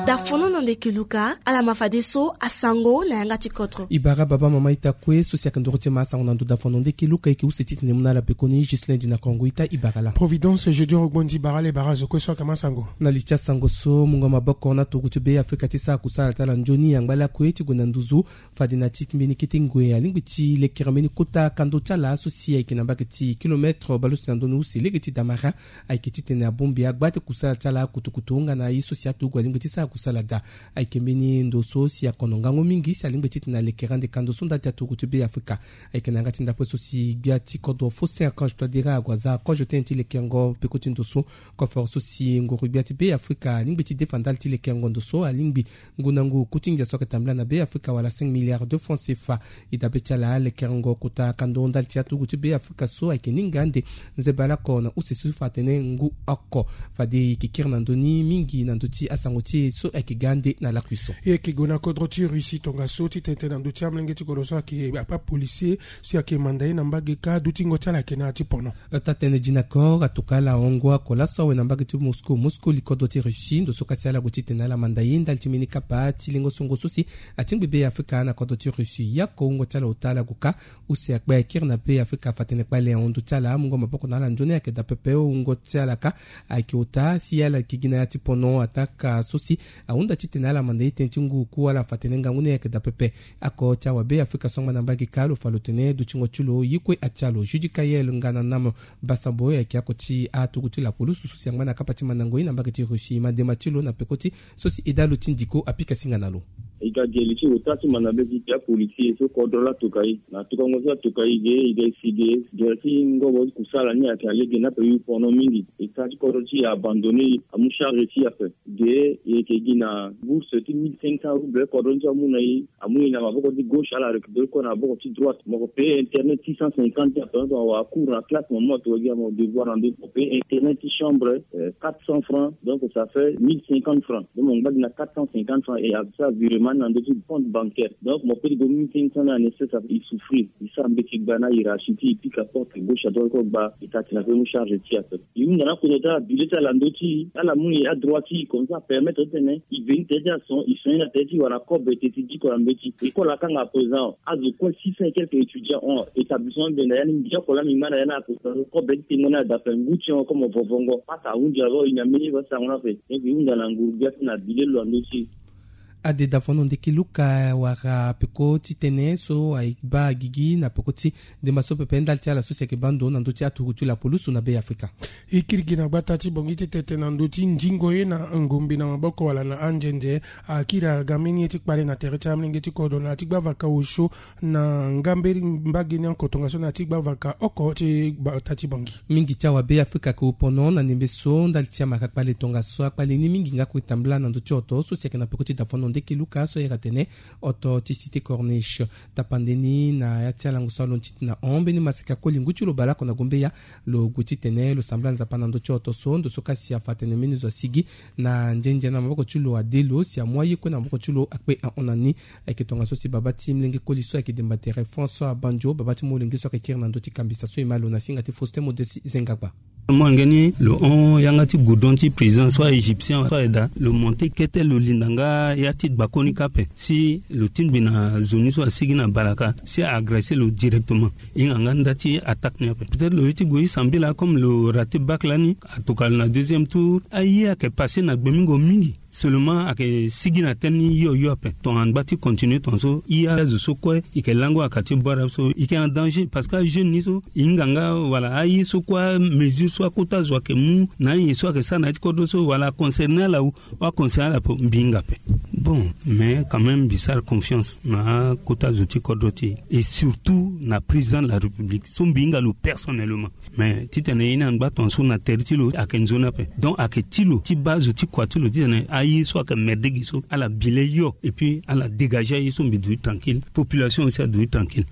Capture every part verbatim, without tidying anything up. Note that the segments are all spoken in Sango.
Dafono na ndeke luka, ala ma fadeso asango na yanga ti kodro. E bara baba mama ita kue so si ayeke ndoro ti e ma asango na ndo dafono ndeke luka, e yeke use titene e mu na ala pekoni Ghislain Dina Kongo ita e bara laa. Providence Jeudi Rogbondi bara ala e bara azo kue so ayeke ma asango. Na li ti asango so mungo maboko na turugu ti Be Afrika ti sara kusala ti ala nzoni angba lakue ti gue na nduzu fade na ti mbeni kete ngoi alingbi ti lekere mbeni kota kando ti ala so si ayeke na mbage ti kilometre baleuse na ndoni use lege ti Damara. Ayeke titene abongbi agba ti kusala ti ala kutukutu hongana ye so si aturugu alingbi ti sara kusala daa. Ayeke mbeni ndo so si akono ngangu mingi si alingbi titene alekere ande kando so ndali ti aturugu ti Be Afrika. Ayeke na yanga ti ndapre so si gbia ti kodro Faustin Archange Touadéra ague aza kozo tënë ti lekerengo peko ti ndo so. Koforo so si nguru gbia ti Be Afrika alingbi ti defa ndali ti lekerengo ndo so alingbi ngu na ngu ku ti ngia so ayeke tambula na Be Afrika wala cinq milliards de francs C F A. E dabe ti ala lekerengo kota kando ndali ti aturugu ti Be Afrika so ayeke ni nga ande nzebala oko na use so fa atene ngu oko. Fade e yeke kiri na ndö ni mingi na ndö ti asango ti e so ayeke ga ande na lakui so. E yeke gue na kodro ti Russie tongaso ti tene tënë na ndö ti amolenge ti kodro so ayeke apolisier si ayeke manda ye na mbage kâ dutingo ti ala ayeke na ya ti pono. Taa-tënë Dina Kor atoka ala hongo oko laso awe na mbage ti Moscou. Moscou li kodro ti Russie ndo so kasi ala gue titene ala manda ye ndali ti mbeni kapa ti lengo songo so si atingbi Be Afrika na kodro ti Russie. Ye oko wungo ti ala ota ala gue kâ use akpe akiri na Be Afrika fa atene kpale ahon ndo ti ala amungo maboko na ala nzoni ayeke daa pepe. Wungo ti ala kâ ayeke ota si ala yeke gi na ya ti pono attaque so si ahunda titene ala manda ye tënë ti ngu ku ala fa atene ngangu ni ayeke daa pepe. Oko ti awabe Afrika so angba na mbage kâ lo fa lo tene dutingo ti lo ye kue atia lo. Judicaël Ngananam Basambo ayeke oko ti aturugu ti lapulusu so si angba na kapa ti mandango ye na mbage ti Russie. Madema ti lo na peko ti so si eda lo ti ndiko apika singa na lo. E ga geli ti ota ti manda mbeti ti apolisier so kodro laa atoka e na tokango so atoka e ge e ga e si ge gere ti ngobo ti kusala ni ayeke alege ni ape e yu pono mingi. E taa ti kodro ti e abandonné e amu charge ti e ape. Ge e yeke gi na bourse ti mille cinq cents roubles kodro ni so amu na e. Amu e na maboko ti gauche ala récupéré kue na maboko ti droite. Mo ko payer internet six cent cinquante ape. Mo tongana wara cours na classe mo mu atoka gi na mo devoir na ndö ti mo payer internet ti chambre quatre cents francs. Donc ça fait mille cinquante francs. Donc mo ngba gi na quatre cent cinquante francs et avec ça virement na ndö ti compte bancaire. Donc mo peut ti gue mille cinq cents na nécessaire, ça fait e souffrir. E sara mbeti gba na hiérarchie ti e pika porte gauche à droite kue gba e taa tena pe mu charge ti e ape. E hunda na akodro ti ala bile ti ala na ndö ti e ala mu e adroit ti e comme ça apermettre titene e veni tere ti ason e son ye na tere ti e wala kobe teti diko na mbeti. École akanga à présent azo kue six cents et quelques étudiants hon établissement benda ya ni mbi oko laa mbi ngba na ya ni akodro kobe ti tengo ni ada ape ngu ti hon comme vovongo pasa ahunzi alo e na mbeni ye baa sango ni ape. Donc e hunda na nguru gbia ti na bile lo na ndö ti e. Ade dafono ndeke luka wara peko ti tënë so aye baa gigi na peko ti ndemba so pepe ndali ti ala so si ayeke baa ndo na ndö ti aturugu ti lapulusu na Be Afrika. E kiri gi na gbata ti Bangui ti tene tënë na ndö ti ndingo ye na ngombe na maboko wala na anzenze. Akiri aga mbeni ye ti kpale na tere ti amolenge ti kodro na ya ti gbavaka osio na ngambe mbage ni oko tongaso na ya ti gbavaka oko ti gbata ti Bangui. Mingi ti awabe Afrika ayeke wu pono na ndembe so ndali ti amara kpale tongaso akpale ni mingi nga kue tambula na ndö ti oto so si ayeke na peko ti dafono ndeke luka so ayeke atene oto ti Cité Corniche. Tapande ni na ya ti alango so alondo ti tena hon mbeni masika koli ngu ti lo baleoko na gombeya. Lo gue titene lo sambela Nzapa na ndö ti oto so ndo so kasi afa atene mbeni zo asigi na nzenze na maboko ti lo ade lo si amu aye kue na maboko ti lo akpe ahon na ni. Ayeke tongaso si baba ti molenge koli so ayeke demba tere François Banjo baba ti molenge so ayeke kiri na ndö ti kambisa so e ma lo na singa ti Faustin Modeste Zengagba. Molenge ni lo hon yanga ti goudron ti président so aégyptien so aye daa lo monté kete lo linda nga ya ti gbakoni kâ ape si lo tingbi na zo ni so asigi na balaka si a agressé lo directement. E hinga nga nda ti attaque ni ape peut-être lo ye ti gue e sambela comme lo raté bac lani atokua lo na deuxième tour aye ayeke passé na gbemingo mingi. Seulement ayeke sigi na tënë ni hio hio ape tongana ngba ti continuer tongaso e azo so kue e yeke lango aka ti bore ape so e yeke en danger parce que ajeune ni so e hinga nga wala aye so kue amesure so akota zo ayeke mu na aye so ayeke sara na ya ti kodro so wala aconcerné ala ou aconcerné ala ape mbi hinga ape. Bon mais quand même mbi sara confiance na akota zo ti kodro ti e et surtout na président de la république so mbi hinga lo personnellement. Mais titene e na ngba tongaso na tere ti lo ayeke nzoni ape donc ayeke ti lo ti baa zo ti kua ti lo titene aye so ayeke merde gi so ala bi le hio et puis ala dégagé aye so mbi duti tranquille population aussi aduti tranquille.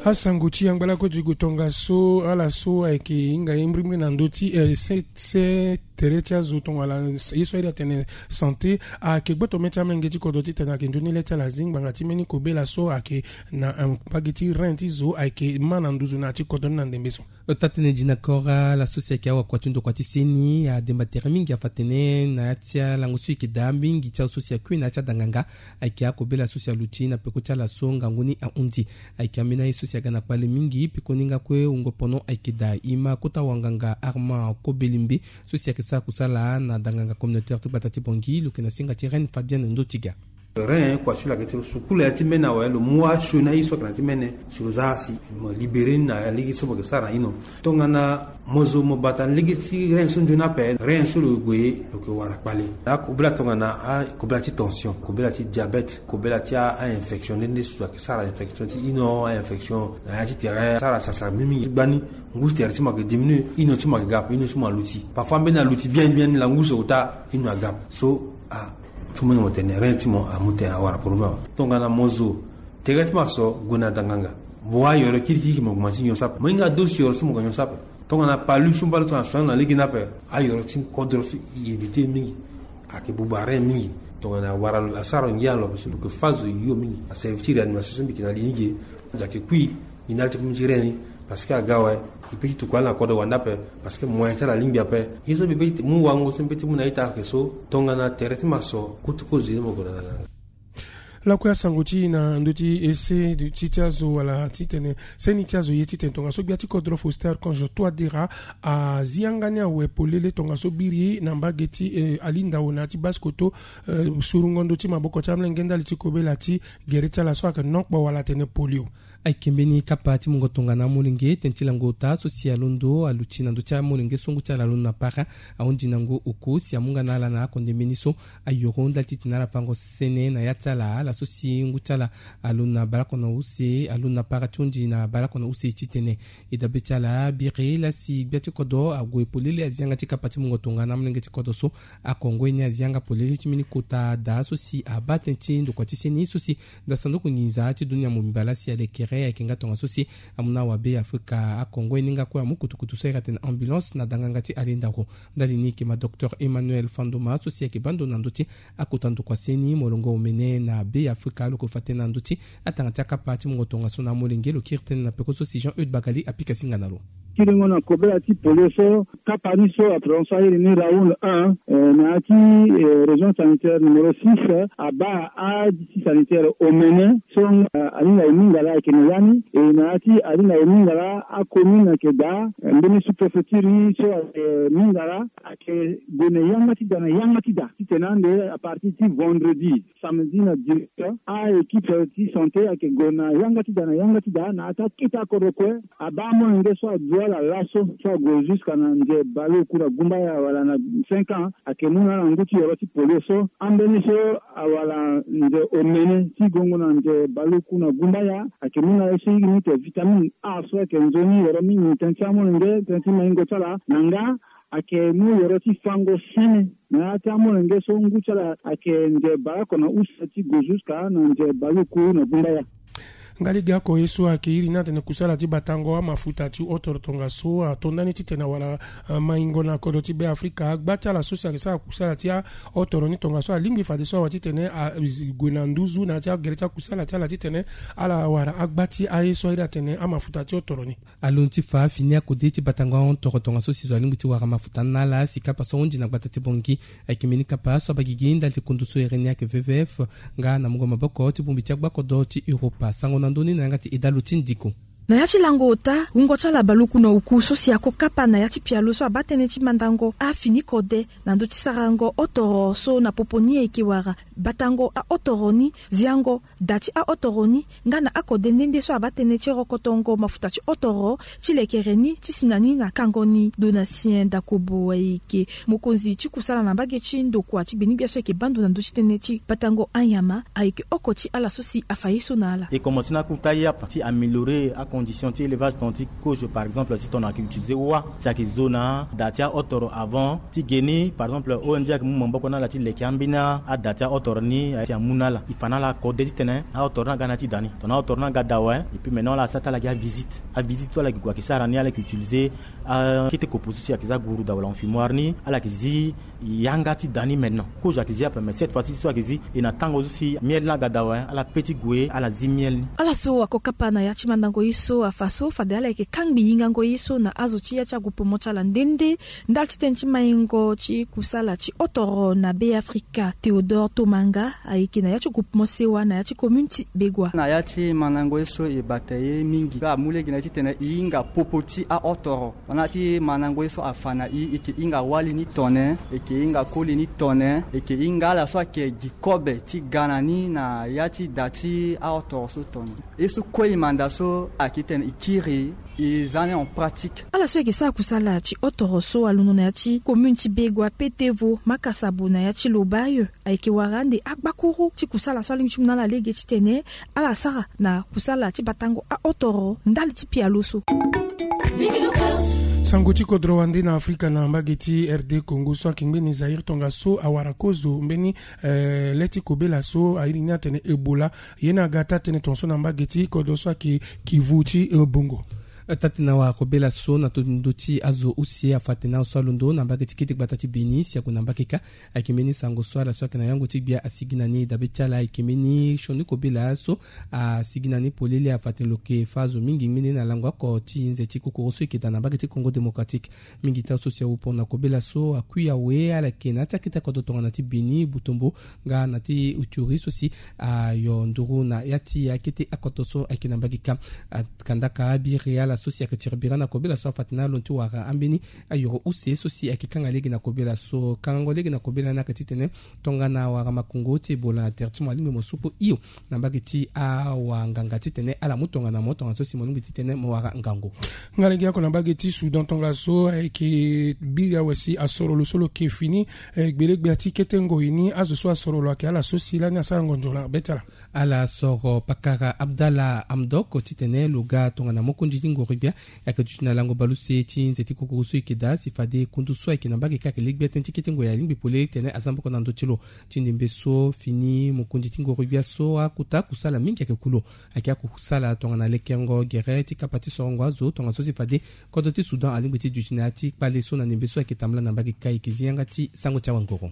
Asango ti angbalako digo tongaso ala so ayeke hinga ye mbirimbiri na ndö ti eh, se, se tere ti azo tongana ye so ayeke atene santé ayeke gboto mê ti amolenge ti kodro titene ayeke nzoni le ti ala zi ngbanga ti mbeni kobela so ayeke na eh, mbage ti rein ti zo ayeke ma na nduzu na ya ti kodro ni na ndembe so. Ota tënë di na kora laso si ayeke awakua ti ndokua ti seni ademba tere mingi afa atene na ya ti alango so e yeke daa mingi ti azo so si akui na ya ti adanganga. Ayeke akobela so si aluti na peko ti ala so ngangu ni ahunzi. Ayeke ambeni aye so si aga na kpale mingi pekoni nga kue wungo pono ayeke daa e ma kota wanganga Armand Kobelimbe so si ayeke sara kusala na danganga communautaire ti gbata ti Bangui lo yeke na singa ti Reine Fabienne Ndotiga. Rein kua ti lo ayeke ti lo sukulu ya ti mbeni awe lo mu asioni aye so ayeke na ya ti mbeni si lo za si mo libéré ni na lege so mo yeke sara na ino. Tongana mo zo mo bata lege ti rein so nzoni ape, rein so lo gue lo yeke wara kpale. Akobela tongana akobela ti tension, kobela ti diabète, kobela ti a-infection nde nde so ayeke sara infection ti ino, a-infection na ya ti tere asara sasa mingi mingi ti gbani. Ngu ti tere ti mo ayeke diminue, ino ti mo ayeke ga ape, ino ti mo aluti. Parfois mbeni aluti bien bien ni la ngu so ota ino aga ape. So a so mo yeke mo tene rein ti mo amu tene awara problème awe. Tongana mo zo tere ti mo aso gue na danganga. Mo wa yoro kirikiriki mo gue ma ti nyon so ape. Mo hinga dosi yoro so mo gue nyon so ape. Tongana palu so mbali tongana soin na lege ni ape. Ayoro ti kodro so e éviter mingi. Ayeke buba rein mingi. Tongana awara lo asara lo ngia lo ape so lo yeke fa zo yo mingi. Aservi ti réanimation so mbi yeke na li ni ge. Zo ayeke kui. Ni ndali ti pomi ti rein ni. Parce que aga awe. E pe ti tuku ala na kodro wande ape. Parce que moyen ti ala alingbi ape. Ye so mbi pe ti mu wango so mbi pe ti mu na ita ayeke so tongana tere ti mo aso kutu kozo ye ni mo gue na danganga. Lakue asango ti e na ndö ti ese ti ti azo wala titene seni ti azo ye titene tongaso gbia ti kodro Faustin Archange Touadéra azi yanga ni awe polele tongaso biri na mbage ti eh, alindao na ya ti Basse-Kotto. Eh, surungo ndö ti maboko ti amolenge ndali ti kobela ti gere ti ala so ayeke nokpo wala atene polio. Ayeke mbeni kapa ti mungo tongana amolenge tene ti lango ota so si alondo aluti na ndö ti amolenge so ngu ti ala alondo na para ahunzi na ngu oko si amu nga na ala na akonde mbeni so ayoro ndali titene ala fango sene na ya ti ala ala so si ngu ti ala alondo na baleoko na use alondo na para ti hunzi na baleoko na use titene e dabe ti ala biri lasi gbia ti kodro ague polele azi yanga ti kapa ti mungo tongana amolenge ti kodro so. Akongo ye ni azi yanga polele ti mbeni kota daa so si abaa tënë ti ndokua ti seni so si Nda sanduku nginza ti dunia mobimba lasi alekere ayeke nga tongaso si amu na awabe afrika akongo ye ni nga kue amu kutukutu so ayeke atene ambulance na danganga ti alendaro. Ndali ni yeke ma docteur Emmanuel Fandoma so si ayeke baa ndo na ndö ti akota ndokua seni molongo omene na be afrika lo yeke fa tënë na ndö ti atanga ti akapa ti mungo tongaso na amolenge lo kiri tënë na peko so si Jean Eude Bagali apika singa na lo. Kiringo na kobela ti polio so kapa ni so aprononce airi ni round un, eh, na ya ti eh, région sanitaire numéro six, eh, abaa aditi sanitaire omene so eh, alinga e mingala ayeke na ya ni. E na ya ti alinga e mingala acommune ayeke daa eh, mbeni sous-préfecture ni so ayeke mingala ayeke gue na yanga ti da na yanga ti da titene ande à partir ti vendredi, samedi na dimanche, a-équipe ti santé ayeke gue na yanga ti da na yanga ti da na ya ti akete akodro kue. Abaa amolenge so aduti ala laso so ague jusqu'à na nze baleoku na gumbaya wala na cinq ans ayeke mu na ala ngu ti yoro ti polio so. Ambeni so awala nze omene ti gongo na nze baleoku na gumbaya ayeke mu na ala ye so e yeke ni tene vitamine A so ayeke nzoni yoro mingi tënë ti amolenge tënë ti maingo ti ala na nga ayeke mu yoro ti fango sene na ya ti amolenge so ngu ti ala ayeke nze baleoko na use ti gue jusqu'à na nze baleoku na gumbaya. Nga lege oko ye so ayeke iri ni atene kusala ti batango amafuta ti hotoro tongaso ato ndani titene awara maingo na kodro ti be afrika agba ti ala so si ayeke sara kusala ti ahotoro ni tongaso alingbi fadeso awa titene ague na nduzu na ya ti agere ti akusala ti ala titene ala wara agba ti aye so airi atene amafuta ti hotoro ni. Alondo ti fa fini akode ti batango ahon toro tongaso si zo alingbi ti wara mafuta ni na ala si kapa so ahunzi na gbata ti bongi. Ayeke mbeni kapa so abagigi ndali ti kundu so ere ni ayeke V V F nga na mungo maboko ti bongbi ti agbakodro ti Europa sango na ndö ni na yanga ti edalo ti ndiko. Na ya ti lango ota wungo ti ala baluku na oku so si ako kapa na ya ti pialo so abaa tënë ti mandango afini kode na ndö ti sarango hotoro so na popo ni ayeke wara batango ahotoro ni, ziango da ti ahotoro ni nga na akode nde nde so abaa tënë ti rokotongo mafuta ti hotoro ti lekere ni ti si na ni na kango ni. Donatien Dakobo ayeke mokonzi ti kusala na mbage ti ndokua ti gbenigbia so ayeke baa ndo na ndö ti tënë ti batango anyama ayeke oko ti ala so si afa ye so na ala. E komanse na akota ye apa ti améliorer Condition ti élevage ton ti kozo par exemple si ton ayeke utiliser wâ si ayeke zo na ada ti ahotoro avant ti ge ni par exemple O N G ayeke mu maboko na ala ti leke ambeni ada ti ahotoro ni si amu na ala e fa na ala kode titene ahotoro ni aga na ya ti da ni ton ahotoro ni aga da awe. Et puis maintenant ala sara ti ala gi avisite avisite so ala yeke gue ayeke sara ni ala yeke utiliser akete kopo so si ayeke za guru da wala on fumoire ni ala yeke zi yanga ti da ni maintenant kozo ayeke zi ape mais cette fois ci so ayeke zi e na tango so si miel ni aga da awe ala pe ti gue ala zi miel ni. Ala so ako kapa na ya ti mandango ye so afa so fade ala yeke kangbi yingango ye so na azo ti ya ti agroupement ti ala nde nde ndali ti tënë ti maingo ti kusala ti hotoro na Be Afrika. Théodore Tomanga ayeke na ya ti groupement sewa na ya ti commune ti Begua. Na ya ti mandango ye so e bata ye mingi mpe amu lege na ye titene e hinga popo ti ahotoro. Wana ti mandango ye so afa na e e yeke hinga wali ni tone e yeke hinga koli ni tone e yeke hinga ala so ayeke gi kobe ti ga na ni na ya ti da ti ahotoro so tone. Ye so kue e manda so ayeke titene e kiri e za ni en pratique. Ala so ayeke sara kusala ti hotoro so alondo na ya ti commune ti Begua, Petevo, Makasabo na ya ti Lobaye ayeke wara ande agbakuru ti kusala so alingbi ti mu na ala lege titene ala sara na kusala ti batango ahotoro ndali ti pialo so. Sango ti kodro wande na Afrika na mbage ti R D Congo so ayeke ngbeni Zaïre tongaso awara kozo mbeni eh, le ti kobela so airi ni atene Ebola. Ye ni aga taa-tënë tongaso na mbage ti kodro so ayeke Kivu ti eh, Bongo. Taa-tënë awara kobela so na ndo ti azo use afa atene azo so alondo na mbage ti kete gbata ti Beni si ague na mbage kâ. Ayeke mbeni sango so ala so ayeke na yango ti gbia asigi na ni dabe ti ala ayeke mbeni sioni kobela so asigi na ni polele afa atene lo yeke fâ azo mingi ngbene na lango oko ti nze ti kokoro so e yeke daa na mbage ti Congo Démocratique. Mingi ti azo so si awu poro na kobela so akui awe ala yeke na ya ti akete akoto tongana ti Beni, Butombo nga na ti Ituri so si ayo nduru na ya ti akete akoto so ayeke na mbage kâ. Kandaka abiri ala so si ayeke tiri bira na kobela so afa atene alondo ti wara ambeni ayoro use so si ayeke kanga lege na kobela so kangango lege na kobela ni ayeke titene tongana wara makongo ti Ebola na tere ti mo alingbi mo suku hio na mbage ti awanganga titene ala mu tongana mo tongana so si mo lingbi titene mo wara ngangu. Nga lege oko na mbage ti Soudan tongaso ayeke biri awe si asoro lo so lo yeke fini eh, gbelegbia ti kete ngoi ni azo so asoro lo ayeke ala so si lani asara ngonzo na be ti ala. Ala soro pakara Abdallah Hamdok titene lo ga tongana mokonzi ti ngoro-gbia. Ayeke duti na lango baleuse ti nze ti kokoro so e yeke daa si fade kundu so ayeke na mbage kâ ayeke le gbia tënë ti kete ngoi alingbi polele titene aza maboko na ndö ti lo. Ti ndembe so fini mokonzi ti ngoro-gbia so akota kusala mingi ayeke ku lo. Ayeke akusala tongana lekerengo gere ti kapa ti sorongo azo tongaso si fade kodro ti Soudan alingbi ti duti na ya ti kpale so na ndembe so ayeke tambula na mbage kâ e yeke zi yanga ti sango ti awangoro.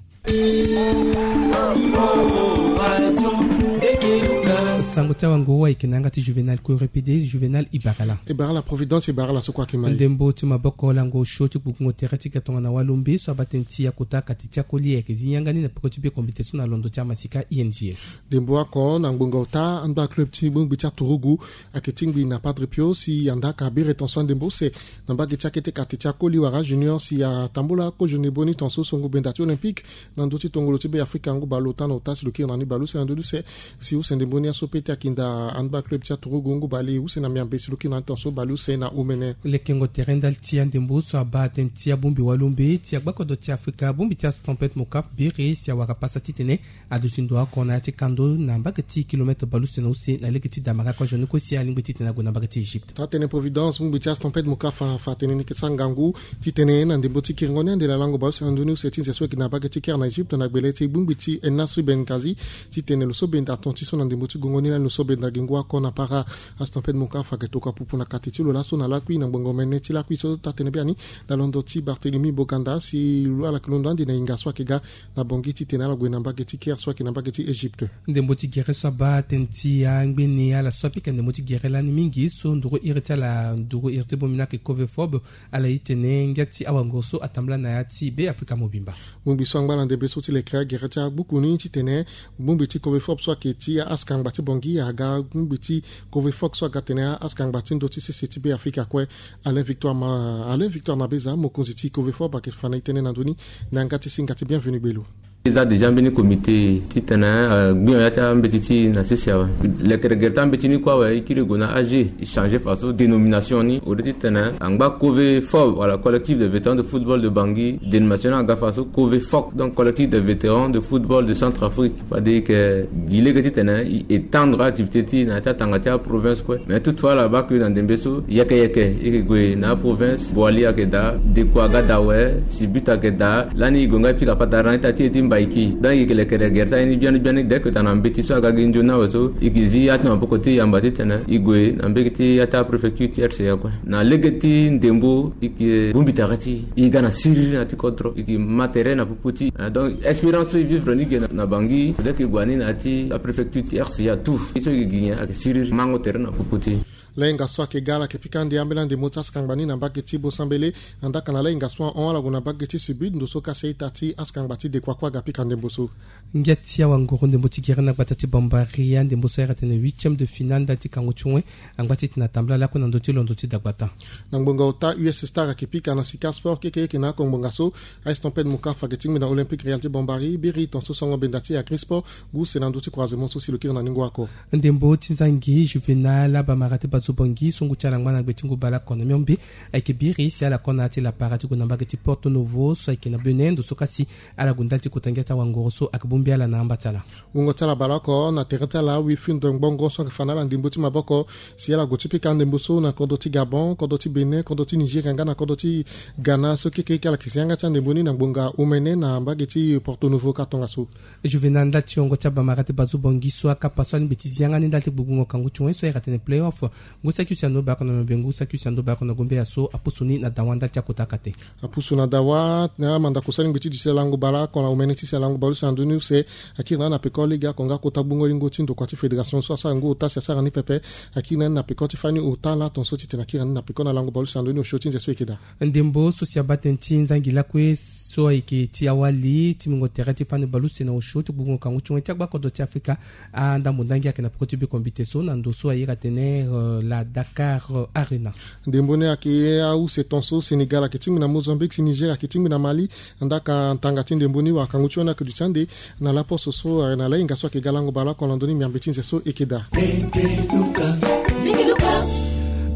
Sango ti awangoro ayeke na yanga ti Juvenal Korepede. Juvenal, e bara ala. E bara ala Providence, e bara ala so kue ayeke ma e. Ndembo ti maboko lango sio ti gbugbungo tere ti ga tongana walombe so abaa tënë ti akota kati ti akoli ayeke zi yanga ni na peko ti be komite so na londo ti amasika I N G S. Ndembo oko na ngbonga ota ando aclub ti bongbi ti aturugu ayeke tingbi na Padre Pio si andaka biri ton so andembo use na mbage ti akete kati ti akoli wala junior si atambula kozo ndembo ni ton so so ngu benda ti Olympique na ndö ti tongolo ti Be Afrika ngu baleota na ota si lo kiri na ni baleuse na ndö ti use. Si use ndembo ni aso pe ti akinda handball club ti aturugu ngu bale use na miambe si lo kiri na ni ton so baleuse na omene. Lekengo tere ndali ti andembo so abaa tënë ti abongbi walombe ti agbakodro ti Afrika bongbi ti astampete mokap biri si awara pasa titene aduti ndo oko na ya ti kando na mbage ti kilomètre baleuse na use na lege ti damara kozo ni kue si alingbi titene ague na mbage ti Egypte. Taa-tënë Providence bongbi ti astampete mokap afa atene ni yeke sara ngangu titene na ndembo ti kiringo ni ande na lango baleuse na ndö ni use ti nze so ayeke na mbage ti Caire na Egypte na gbele ti bongbi ti Nasser Benghazi titene lo so benda ton ti so na ndembo ti gongo ni lani lo so benda gi ngu oko na para. Astampede mokap ayeke tokua pupu na kati ti lo laso na lakui na ngbongo mene ti lakui so taa-tënë biani na londo ti Barthélemy Boganda si lo ala yeke londo ande na hinga so ayeke ga na Bangui titene ala gue na mbage ti Caire so ayeke na mbage ti Egypte. Ndembo ti gere so abaa tënë ti angbeni ala so apika ndembo ti gere lani mingi so nduru iri ti ala nduru iri ti bongbi ni ayeke Covefop. Ala ye tene ngia ti awanguru so atambula na ya ti Be Afrika mobimba. Bongbi so angba na ndembe so ti leke agere ti agbuku ni titene bongbi ti Covefop so ayeke ti askangba ti Bangui aga bongbi ti Covefop so aga tene askangba ti ndö ti sese ti Be Afrika kue. Alain Victoire ma Alain Victoire Nabeza mokonzi ti Covefop ayeke fa na e tënë na ndö ni na yanga ti singa ti Bienvenu Gbelu. E za déjà mbeni comité titene agbion ya ti ambeti ti na sese awe. Lekere gere ti ambeti ni kue awe, e kiri e gue na age, e changer façon dénomination ni au lieu titene angba cove fo wala collectif de vétérans de football de Bangui, dénomination ni aga façon cove fok, donc collectif de vétérans de football de Centrafrique. Fade e yeke gi lege titene e étendre activité ti na ya ti atanga ti aprovince kue. Mais toutefois ala baa ke na ndembe so yeke yeke e yeke gue na aprovince, Boali ayeke daa, Dekoa aga daa awe, Sibut ayeke daa. Lani e gue nga e pika patara na ita ti e ti Mbaiki. Donc e yeke lekere gere ti aye ni biani biani dès que tongana mbeti so aga gi nzoni awe so e yeke zi ya ti na maboko ti e yamba titene e gue na mbege ti ya ti apréfecture ti R C A kue. Na lege ti ndembo e yeke bongbi tere ti e, e ga na siriri na ya ti kodro, e yeke ma tere na popo ti e. Donc expérience so e vivre ni ge na, na Bangui, dès que e gue ni na ya ti apréfecture ti R C A tout, ye so e yeke gi nyen ayeke siriri, mango tere na popo ti e. Lahinga so ayeke ga ala yeke pika ande ambeni andembo ti askangba ni na mbage ti Bosambele. Andaka na lahinga so ahon ala gue na mbage ti Sibut, ndo so kasi a-ita ti askangba ti Dekoa kue aga pika ndembo so. Ngia ti awanguru ndembo ti gere na gbata ti Bambari, andembo so ahiri atene huitième de finale ndali ti kangu ti wen angba ti tena tambala lakue na ndö ti londo ti dagbata. Na ngbonga ota U S Star ayeke pika na Sika Sport keke eke na oko ngbonga so. Ice Tempête Mokafa ayeke tingbi na Olympique Real ti Bambari, biri tongaso songo benda ti Agri Sport, ngu use na ndö ti croisement so si lo kiri na ningo oko. Ndembo ti nzangi Juvenal Abamara ti Bazo Bongi so ngu ti ala angba na gbe ti ngu baleoko na miombe ayeke biri si ala ko na ya ti lapara ti gue na mbage ti Porto Novo so ayeke na Benin, ndo so kasi ala gue ndali ti kota ngia ti awanguru so ayeke bongbi ala na amba ti ala. Wungo ti ala baleoko na tere ti ala Wifindo Ngbongo so ayeke fa na ala ndembo ti maboko si ala gue ti pika ndembo so na kodro ti Gabon, kodro ti Benin, kodro ti Nigeria nga na kodro ti Ghana so keke eke ala yeke zi yanga ti andembo ni na ngbonga omene na mbage ti Porto Novo ka tongaso. Juvenal ndali ti wungo ti Abamara ti Bazo Bongi so akapa so alingbi ti zi yanga ni ndali ti gbugbungo kangu ti wen so ahiri atene playoff, ngu saki use na ndo baleoko na miombe, ngu saki use na ndo baleoko na gombeya so apusu ni na dawa ndali ti akota akate. Apusu na dawa na mandako so alingbi ti duti lango baleoko na omene ti si lango baleuse na ndö ni use. Akiri na ni na peko legeoko nga kota gbungo lingo ti ndokua ti fédération so asara ngu ota si asara ni pepe. Akiri na ni na peko ti fani ota ala tongaso titene akiri na ni na peko na lango baleuse na ndö ni osio ti nze so e yeke daa. Ndembo so si abaa tënë ti nzangi lakue so ayeke ti awali ti mingo tere ti fani baleuse na osio ti gbugbungo kangu ti wen ti agba kodro ti Afrika. Andambo ndangi ayeke na peko ti bekombite so na ndo so ahiri atene, euh, la Dakar, euh, Arena. Ndembo ni ayeke ause tongaso Sénégal ayeke tingbi na Mozambique, si Niger ayeke tingbi na Mali. Ndaka ntanga ti ndembo ni wala kangu ti wen ayeke duti ande na laposo so, eh, na lahinga so ayeke ga lango baleoko na ndö ni miambe ti nze so e yeke daa.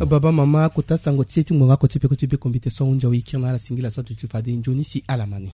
Baba mama, kota sango ti e ti ngbonga oko ti peko ti bekombite so ahunzi awe, e kiri na ala singila so aduti fade nzoni si ala ma ni.